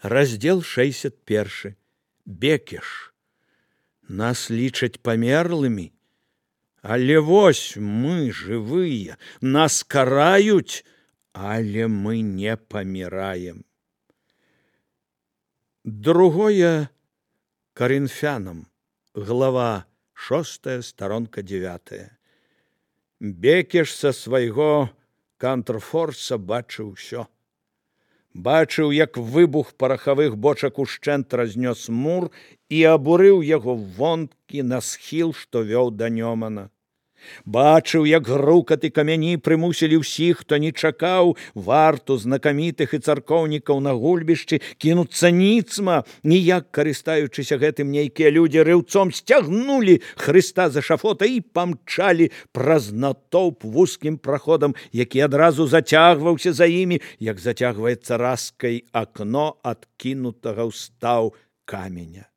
Раздзел 61. Бекеш. Нас лічаць памерлымі, але вось мы жывыя, нас караюць, але мы не паміраем. Другое Коринфянам, глава 6, сторонка 9. Бекеш са свайго кантрфорса бачыў усё. Бачыў, як выбух парахавых бочак ушчэнт разнёс мур і абурыў яго вонкі на схіл, што вёў да Нёмана. Бачыў, як грукат і камяні прымусілі ўсіх, хто не чакаў варту знакамітых і царкоўнікаў на гульбішчы, кінуцца ніцма, ніяк карыстаючыся гэтым нейкія людзі рыўцом сцягнулі Хрыста з эшафота і памчалі праз натоўп вузкім праходам, які адразу зацягваўся за імі, як зацягваецца раскай акно адкінутага ў стаў каменя.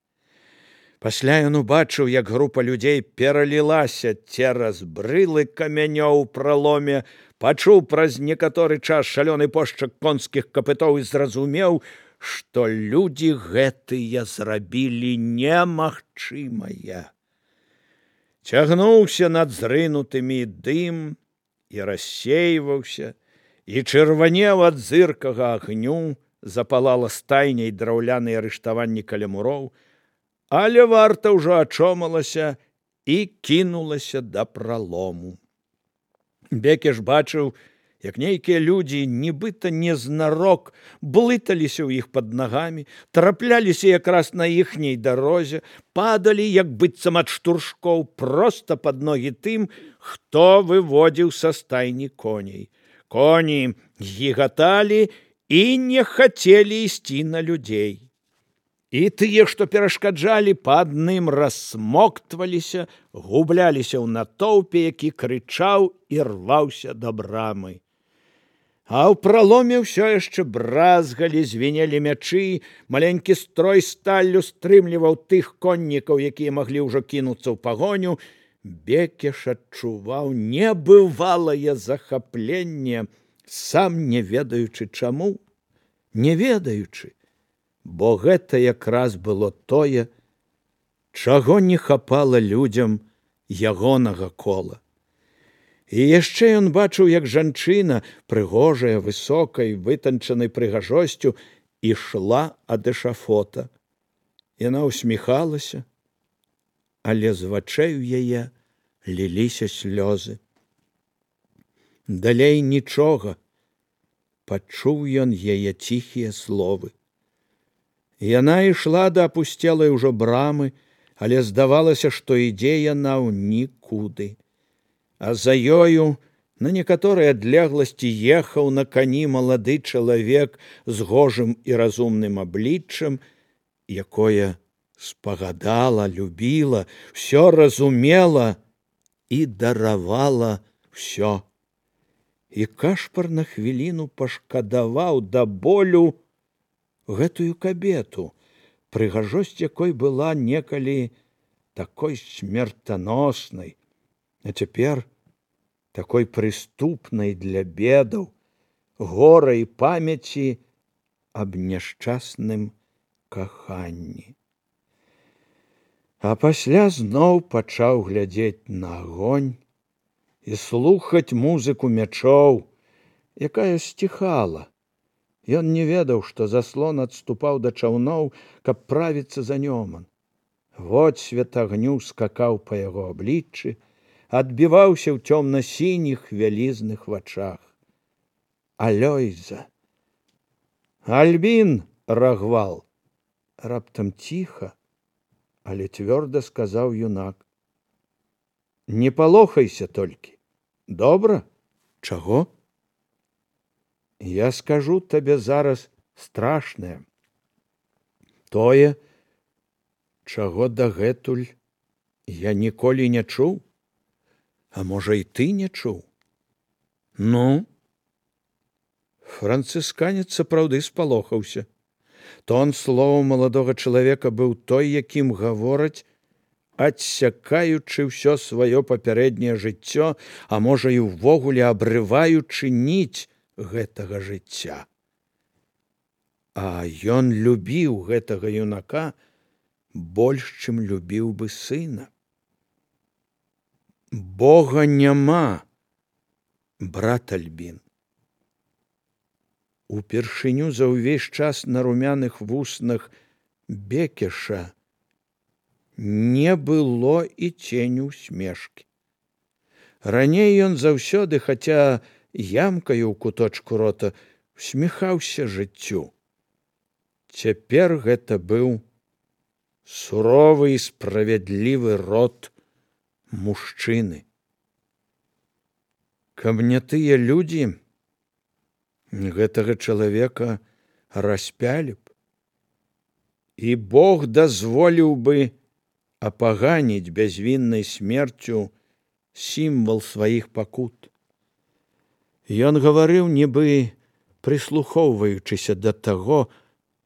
Пасля ён убачыў, як група людзей пералілася цераз брылы камянёў у праломе, пачуў праз некаторы час шалёны пошчак конскіх капытоў і зразумеў, што людзі гэтыя зрабілі немагчымае. Цягнуўся над зрынутымі дым і рассейваўся, і чырванеў ад зыркага агню, запалала стайняй драўляныя рыштаванні каля муроў, але варта ўжо ачомалася і кінулася да пралому. Бекеш бачыў, як нейкія людзі, нібыта незнарок, блыталіся ў іх пад нагамі, трапляліся якраз на іхняй дарозе, падалі, як быццам ад штуршкоў, проста пад ногі тым, хто выводзіў са стайні коней. Коні гігаталі і не хацелі ісці на людзей. І тыя, што перашкаджалі, па адным рассмоктваліся, губляліся ў натоўпе, які крычаў і рваўся да брамы. А ў праломе ўсё яшчэ бразгалі, звінелі мячы, маленькі строй сталлю стрымліваў тых коннікаў, якія маглі ўжо кінуцца ў пагоню. Бекеш адчуваў небывалае захапленне, сам не ведаючы чаму, не ведаючы, бо гэта якраз было тое, чаго не хапала людзям ягонага кола. І яшчэ ён бачыў, як жанчына, прыгожая, высокай, вытанчанай прыгажосцю, ішла ад эшафота. Яна усміхалася, але з вачэй у яе ліліся слёзы. Далей нічога, пачуў ён яе ціхія словы. Яна ішла да апусцелай ужо брамы, але здавалася, што ідзе яна ў нікуды. А за ёю на некаторай адлегласці ехаў на кані малады чалавек з гожым і разумным абліччам, якое спагадала, любіла, всё разумела і даравала всё. І Кашпар на хвіліну пашкадаваў да болю гэтую кабету, прыгажосць якой была некалі такой смертаноснай, а цяпер такой прыступнай для бедаў, гора і памяці аб няшчасным каханні. А пасля зноў пачаў глядзець на агонь і слухаць музыку мячоў, якая сціхала. Ён не ведаў, што заслон адступаў да чаўноў, каб правіцца за Нёман. Водсвет агню скакаў па яго абліччы, адбіваўся ў цёмна-сініх вялізных вачах. Алёйза! Альбін, Рагвал! Раптам ціха, але цвёрда сказаў юнак. Не палохайся толькі. Добра? Чаго? Я скажу табе зараз страшнае. Тое, чаго дагэтуль я ніколі не чуў, а можа і ты не чуў. Ну? Францысканец сапраўды спалохаўся. Тон слоў маладога чалавека быў той, якім гавораць, адсякаючы ўсё сваё папярэдняе жыццё, а можа і ўвогуле абрываючы ніць гэтага жыцця. А ён любіў гэтага юнака больш, чым любіў бы сына. Бога няма, брат Альбін. Упершыню за ўвесь час на румяных вуснах Бекеша не было і ценю усмешкі. Раней ён заўсёды, хаця ямкаю ў куточку рота, усміхаўся жыццю. Цяпер гэта быў суровы і справядлівы рот мужчыны. Каб не тыя людзі, гэтага чалавека распялі б, і Бог дазволіў бы апаганіць бязвіннай смерцю сімвал сваіх пакут. Ён гаварыў, нібы прыслухоўваючыся да таго,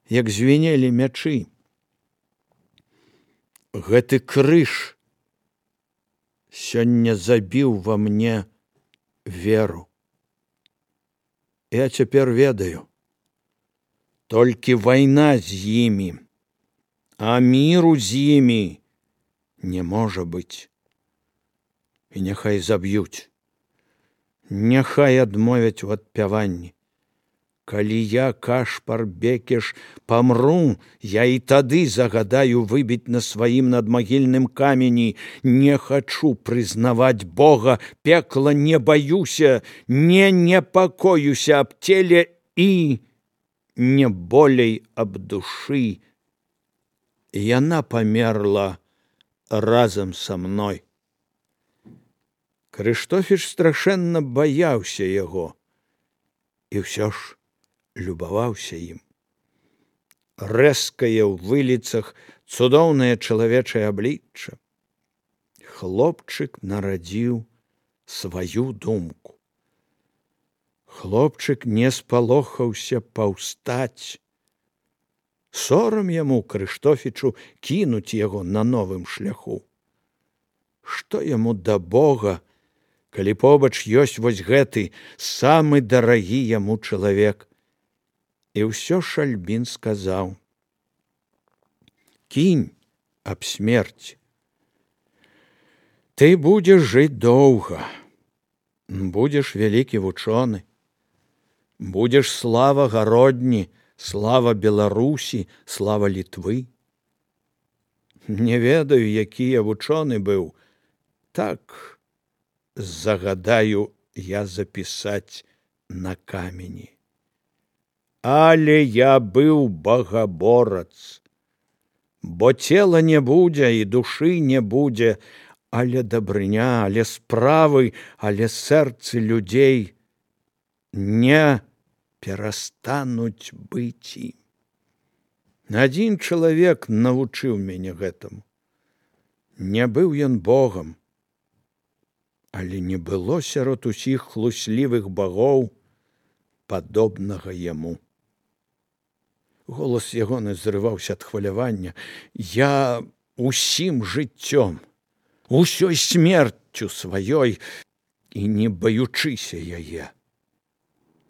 як звінелі мячы. Гэты крыж сёння забіў ва мне веру. Я цяпер ведаю, толькі вайна з імі, а міру з імі не можа быць. І няхай заб'юць, няхай адмовяць у адпяванні. Калі я, Кашпар Бекеш, памру, я і тады загадаю выбіць на сваім надмагільным камені: не хачу прызнаваць Бога, пекла не баюся, не непакоюся аб целе і не болей аб душы. Яна памерла разам са мной. Крыштофіч страшэнна баяўся яго і ўсё ж любаваўся ім. Рэзкае ў выліцах цудоўнае чалавечае аблічча. Хлопчык нарадзіў сваю думку. Хлопчык не спалохаўся паўстаць. Сорам яму, Крыштофічу, кінуць яго на новым шляху. Што яму да Бога, калі побач ёсць вось гэты самы дарагі яму чалавек? І ўсё ж Альбін сказаў: кінь аб смерці. Ты будзеш жыць доўга, будзеш вялікі вучоны, будзеш слава Гародні, слава Беларусі, слава Літвы. Не ведаю, які я вучоны быў, так загадаю я запісаць на камені. Але я быў багаборац, бо цела не будзе і душы не будзе, але дабрыня, але справы, але сэрцы людзей не перастануць быць ім. Адзін чалавек навучыў мяне гэтаму. Не быў ён Богам, але не было сярод усіх хлуслівых багоў падобнага яму. Голас ягоны зрываўся ад хвалявання. Я усім жыццём, усёй смерцю сваёй і не баючыся яе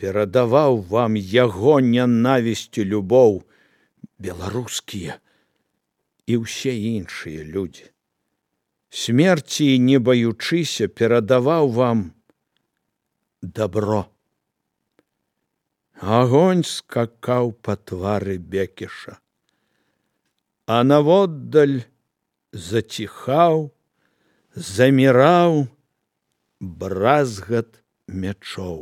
перадаваў вам яго нянавісць і любоў беларускія і ўсе іншыя людзі. Смерці не баючыся перадаваў вам дабро. Агонь скакаў па твары Бекеша, а наводдаль заціхаў, заміраў бразгат мячоў.